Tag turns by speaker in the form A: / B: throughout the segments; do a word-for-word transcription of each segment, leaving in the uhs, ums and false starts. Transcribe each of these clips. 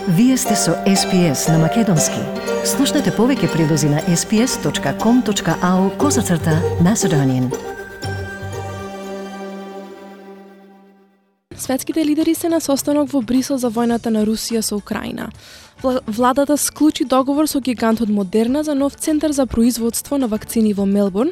A: Вие сте со Ес Пи Ес на Македонски. Слушнете повеќе прилози на ес пи ес точка ком точка ау козацрта Macedonian.
B: Светските лидери се на состанок во Брисел за војната на Русија со Украина. Владата склучи договор со гигантот Модерна за нов центар за производство на вакцини во Мелбурн.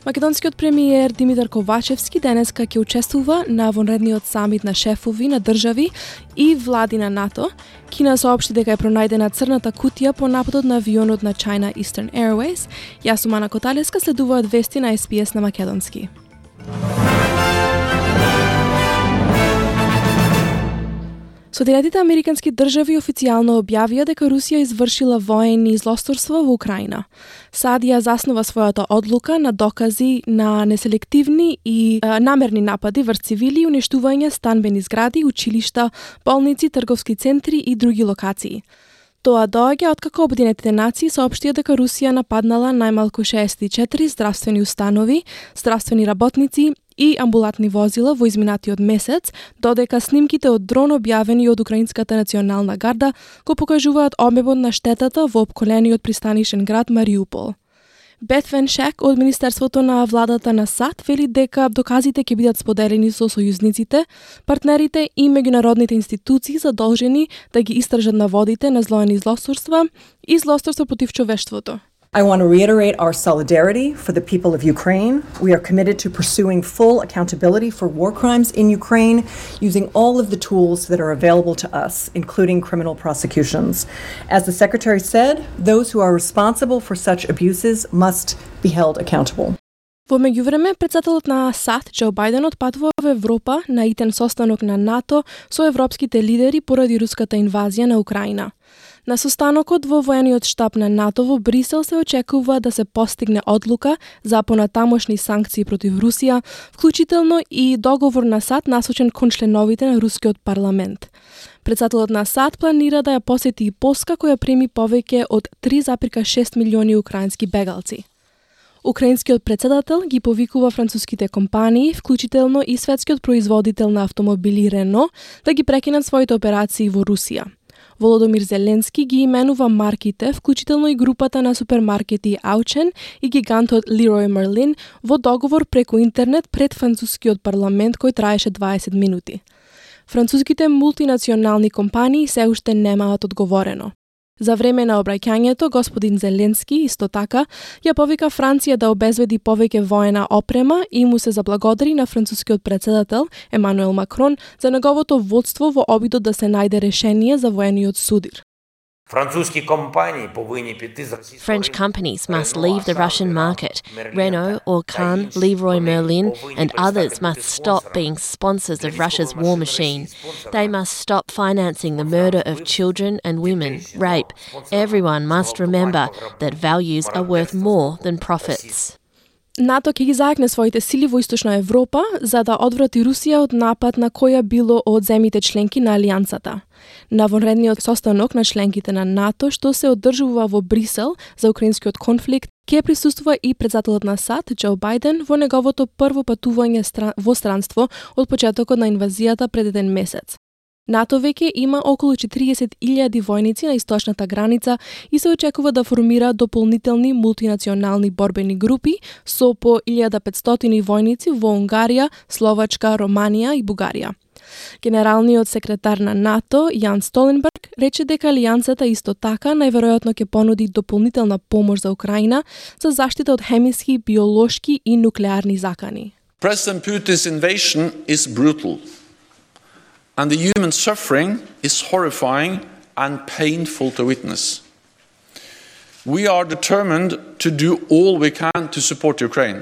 B: Македонскиот премиер Димитар Ковачевски денеска ќе учествува на вонредниот самит на шефови на држави и влади на НАТО. Кина соопшти дека е пронајдена црната кутија по нападот на авионот на China Eastern Airways. Јас сум Ана Коталеска, следуваат вести на Ес Пи Ес на Македонски. Соединетите американски држави официјално објавија дека Русија извршила воени злосторства во Украина. САД ја заснова својата одлука на докази на неселективни и е, намерни напади врз цивили и уништување станбени згради, училишта, болници, трговски центри и други локации. Тоа доаѓа откако Обединетите нации соопштија дека Русија нападнала најмалку шеесет и четири здравствени установи, здравствени работници и амбулатни возила во изминатиот месец, додека снимките од дрон објавени од Украинската национална гарда го покажуваат обемот на штетата во опколениот пристанишен град Мариупол. Бет Веншек од Министерството на владата на САД вели дека доказите ќе бидат споделени со сојузниците, партнерите и меѓународните институции задолжени да ги истражат наводите на злоени злосторства и злосторства против човештвото.
C: I want to reiterate our solidarity for the people of Ukraine. We are committed to pursuing full accountability for war crimes in Ukraine using all of the tools that are available to us, including criminal prosecutions. As the Secretary said, those who are responsible for such abuses must be held accountable.
B: Во меѓувреме, председателот на САД, Џо Бајден, отпатува во Европа на итен состанок на НАТО со европските лидери поради руската инвазија на Украина. На состанокот во воениот штаб на НАТО во Брисел се очекува да се постигне одлука за понатамошни санкции против Русија, вклучително и договор на САД насочен кон членовите на рускиот парламент. Председателот на САД планира да ја посети и Полска, која прими повеќе од три зарез и шест милиони украински бегалци. Украинскиот председател ги повикува француските компании, вклучително и светскиот производител на автомобили Рено, да ги прекинат своите операции во Русија. Володомир Зеленски ги именува марките, вклучително и групата на супермаркети Аучен и гигантот Leroy Merlin во договор преку интернет пред францускиот парламент кој траеше дваесет минути. Француските мултинационални компании се уште немаат одговорено. За време на обраќањето, господин Зеленски исто така ја повика Франција да обезбеди повеќе воена опрема и му се заблагодари на францускиот председател Емануел Макрон за неговото водство во обидот да се најде решение за воениот судир.
D: French companies must leave the Russian market. Renault, Orcan, Leroy Merlin and others must stop being sponsors of Russia's war machine. They must stop financing the murder of children and women, rape. Everyone must remember that values are worth more than profits.
B: НАТО ќе ги зајакне своите сили во Источна Европа за да одврати Русија од напад на која било од земјите членки на Алијансата. На вонредниот состанок на членките на НАТО, што се одржува во Брисел за украинскиот конфликт, ќе присуствува и председателот на САД, Џо Бајден, во неговото прво патување во странство од почетокот на инвазијата пред еден месец. НАТО веќе има околу четириесет илјади војници на источната граница и се очекува да формира дополнителни мултинационални борбени групи со по илјада петстотини војници во Унгарија, Словачка, Романија и Бугарија. Генералниот секретар на НАТО, Јан Столенберг, рече дека алијансата исто така најверојатно ќе понуди дополнителна помош за Украина за заштита од хемиски, биолошки и нуклеарни закани.
E: President Putin's invasion is brutal. And the human suffering is horrifying and painful to witness. We are determined to do all we can to support Ukraine.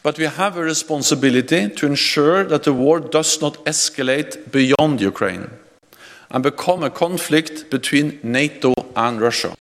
E: But we have a responsibility to ensure that the war does not escalate beyond Ukraine and become a conflict between NATO and Russia.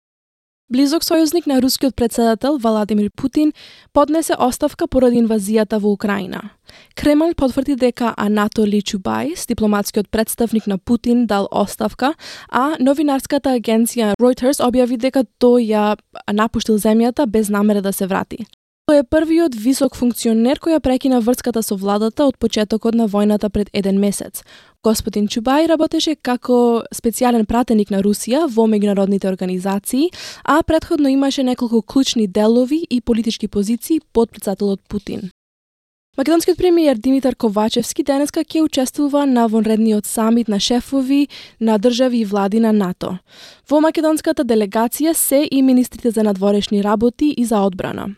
B: Близок сојузник на рускиот председател Владимир Путин поднесе оставка поради инвазијата во Украина. Кремљ потврди дека Анатоли Чубајс, дипломатскиот представник на Путин, дал оставка, а новинарската агенција Reuters објави дека тој ја напуштил земјата без намера да се врати. Тој е првиот висок функционер кој ја прекина врската со владата од почетокот на војната пред еден месец. Господин Чубај работеше како специјален пратеник на Русија во меѓународните организации, а претходно имаше неколку клучни делови и политички позиции под претседателот Путин. Македонскиот премиер Димитар Ковачевски денеска ќе учествува на вонредниот самит на шефови на држави и влади на НАТО. Во македонската делегација се и министрите за надворешни работи и за одбрана.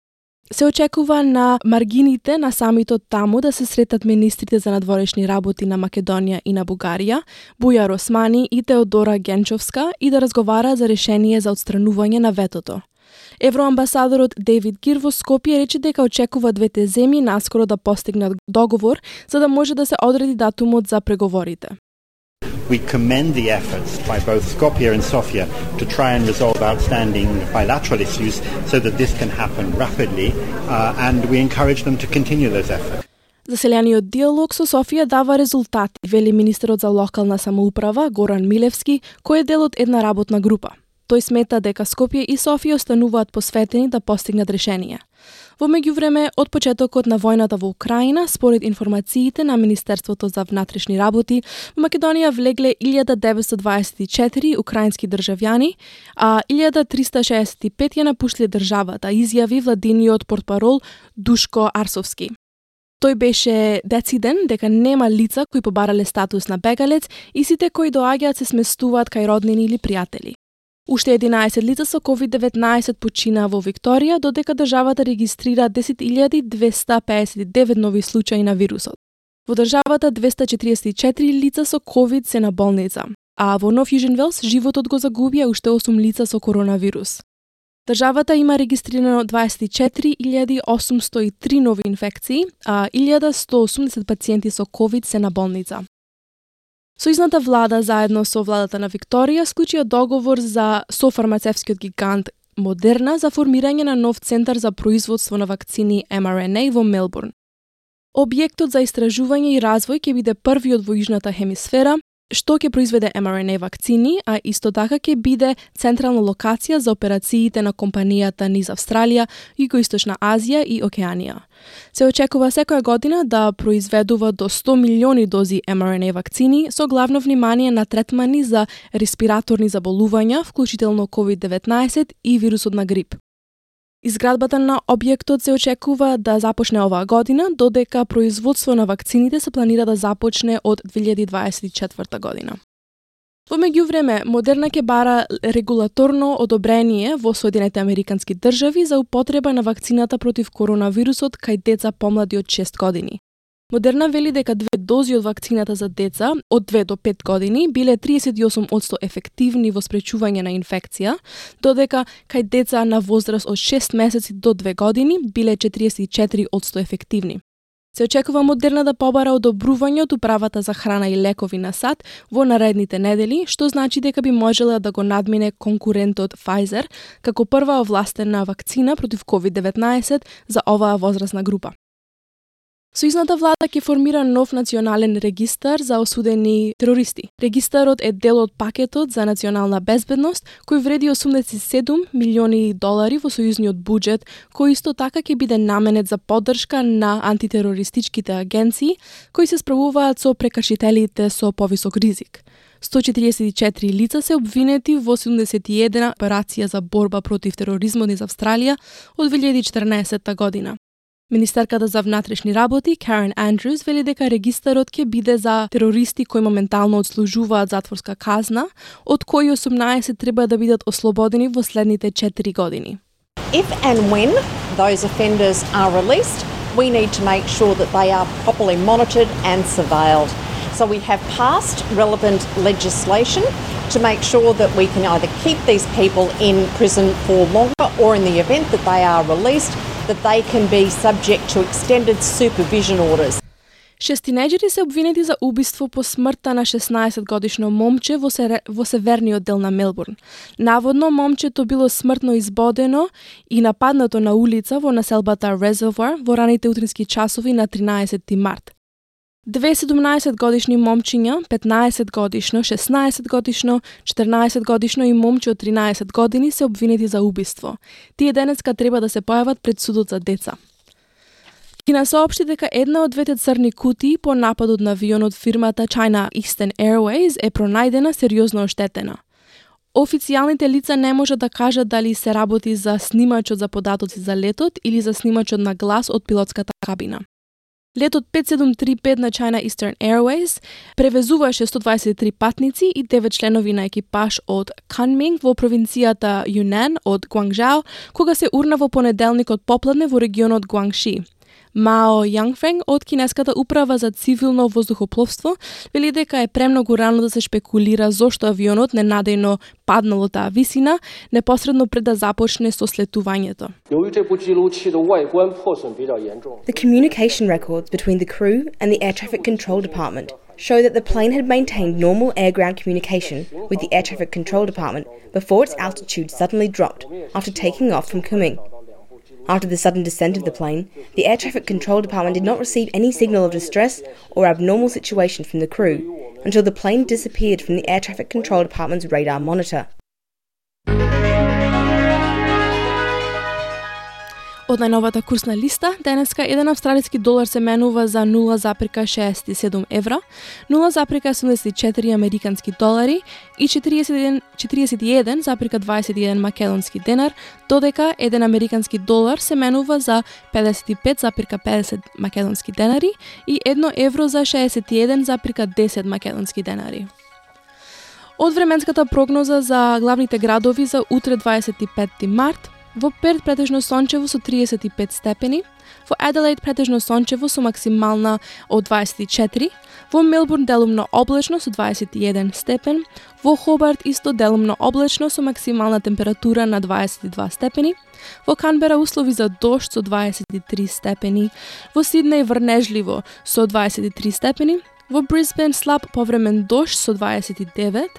B: Се очекува на маргините на самитот таму да се сретат министрите за надворешни работи на Македонија и на Бугарија, Бујар Османи и Теодора Генчовска, и да разговара за решение за отстранување на ветото. Евроамбасадорот Дейвид Гир во Скопје рече дека очекува двете земји наскоро да постигнат договор за да може да се одреди датумот за преговорите.
F: We commend the efforts by both Skopje and Sofia to try and resolve outstanding bilateral issues so that this can happen rapidly, uh, and we encourage them to continue those efforts.
B: Заселениот диалог со Софија дава резултати, вели министерот за локална самоуправа Горан Милевски, кој е дел од една работна група. Тој смета дека Скопје и Софија остануваат посветени да постигнат решение. Во меѓувреме, од почетокот на војната во Украина, според информациите на Министерството за внатрешни работи, во Македонија влегле илјада деветстотини дваесет и четири украински државјани, а илјада триста шеесет и пет ја напуштиле државата, изјави владиниот портпарол Душко Арсовски. Тој беше дециден дека нема лица кои побарале статус на бегалец и сите кои доаѓаат се сместуваат кај роднини или пријатели. Уште единаесет лица со ковид деветнаесет почина во Викторија, додека државата регистрира десет илјади двеста пеесет и девет нови случаи на вирусот. Во државата двеста четириесет и четири лица со ковид се на болница, а во Нов Јужен Велс животот го загубија уште осум лица со коронавирус. Државата има регистрирано дваесет и четири илјади осумсто и три нови инфекции, а илјада сто осумдесет пациенти со ковид се на болница. Сојузната влада заедно со владата на Викторија склучија договор за со фармацевскиот гигант Модерна за формирање на нов центар за производство на вакцини Ем Ар Ен Ей во Мелбурн. Објектот за истражување и развој ќе биде првиот во јужната хемисфера, што ќе произведе Ем Ар Ен Ей вакцини, а исто така ќе биде централна локација за операциите на компанијата низ Австралија, Југоисточна Азија и Океанија. Се очекува секоја година да произведува до сто милиони дози Ем Ар Ен Ей вакцини со главно внимание на третмани за респираторни заболувања, вклучително ковид деветнаесет и вирусот на грип. Изградбата на објектот се очекува да започне оваа година, додека производство на вакцините се планира да започне од две илјади дваесет и четврта година. Во меѓувреме, Модерна ќе бара регулаторно одобрение во Соединетите Американски држави за употреба на вакцината против коронавирусот кај деца помлади од шест години. Модерна вели дека две дози од вакцината за деца од две до пет години биле триесет и осум одсто ефективни во спречување на инфекција, додека кај деца на возраст од шест месеци до две години биле четириесет и четири одсто ефективни. Се очекува Модерна да побара одобрување од Управата за храна и лекови на САД во наредните недели, што значи дека би можела да го надмине конкурентот Pfizer како прва овластена вакцина против ковид деветнаесет за оваа возрастна група. Сојузната влада ќе формира нов национален регистар за осудени терористи. Регистарот е дел од пакетот за национална безбедност, кој вреди осумдесет и седум милиони долари во сојузниот буџет, кој исто така ќе биде наменет за поддршка на антитерористичките агенции, кои се справуваат со прекршителите со повисок ризик. сто четириесет и четири лица се обвинети во седумдесет и една операција за борба против тероризмот низ Австралија од две илјади и четрнаесетта година. Министерката за внатрешни работи, Карен Андрюс, вели дека регистарот ќе биде за терористи кои моментално одслужуваат затворска казна, од кои осумнаесет треба да бидат ослободени во следните четири години.
G: If and when those offenders are released, we need to make sure that they are properly monitored and surveilled. So we have passed relevant legislation to make sure that we can either keep these people in prison for longer or in the event that they are released, that they can be subject to extended supervision orders.
B: Шест тинејџери се обвинети за убиство по смртта на шеснаесет годишно момче во, се, во северниот дел на Мелбурн. Наводно, момчето било смртно избодено и нападнато на улица во населбата Резервоар во раните утрински часови на тринаесети март. Две седумнаесет годишни момчиња, петнаесет годишно, шеснаесет годишно, четрнаесет годишно и момче од тринаесет години се обвинети за убиство. Тие денеска треба да се појават пред судот за деца. Кина соопшти дека една од двете црни кутии по нападот на авионот фирмата China Eastern Airways е пронајдена сериозно оштетена. Официјалните лица не можат да кажат дали се работи за снимачот за податоци за летот или за снимачот на глас од пилотската кабина. Летот пет седум три пет на China Eastern Airways превезуваше сто дваесет и три патници и девет членови на екипаж од Kunming во провинцијата Юнан од Гуангжао, кога се урна во понеделникот попладне во регионот Гуангши. Мао Јангфенг од кинеската управа за цивилно воздухопловство вели дека е премногу рано да се шпекулира зошто авионот ненадејно паднал од таа висина непосредно пред да започне со слетувањето.
H: The communication records between the crew and the air traffic control department show that the plane had maintained normal air-ground communication with the air traffic control department before its altitude suddenly dropped after taking off from Kunming. After the sudden descent of the plane, the Air Traffic Control Department did not receive any signal of distress or abnormal situation from the crew until the plane disappeared from the Air Traffic Control Department's radar monitor.
B: Од најновата курсна листа, денеска еден австралиски долар се менува за нула запирка шеесет и седум евра, нула запирка седумдесет и четири американски долари и четириесет и еден запирка дваесет и еден македонски денар, додека еден американски долар се менува за педесет и пет запирка педесет македонски денари и едно евро за шеесет и еден запирка десет македонски денари. Од временската прогноза за главните градови за утре дваесет и петти март, во Перт претежно сончево со триесет и пет степени, во Аделаид претежно сончево со максимална од дваесет и четири, во Мелбурн делумно облачно со дваесет и еден степен, во Хобарт исто делумно облачно со максимална температура на дваесет и два степени, во Канбера услови за дожд со дваесет и три степени, во Сиднеј врнежливо со дваесет и три степени, во Брисбен слаб повремен дожд со дваесет и девет,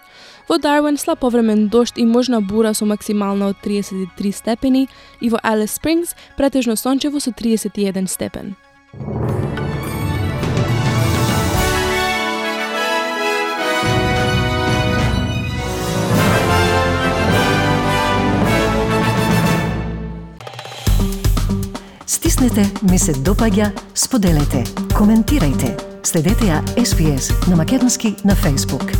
B: во Дарвин слаб повремен дожд и можна бура со максимална од триесет и три степени и во Алис Спрингс претежно сончево со триесет и еден степен.
A: Стиснете, ми се допаѓа, споделете, коментирајте. Следете ја Ес Би Ес на македонски на Facebook.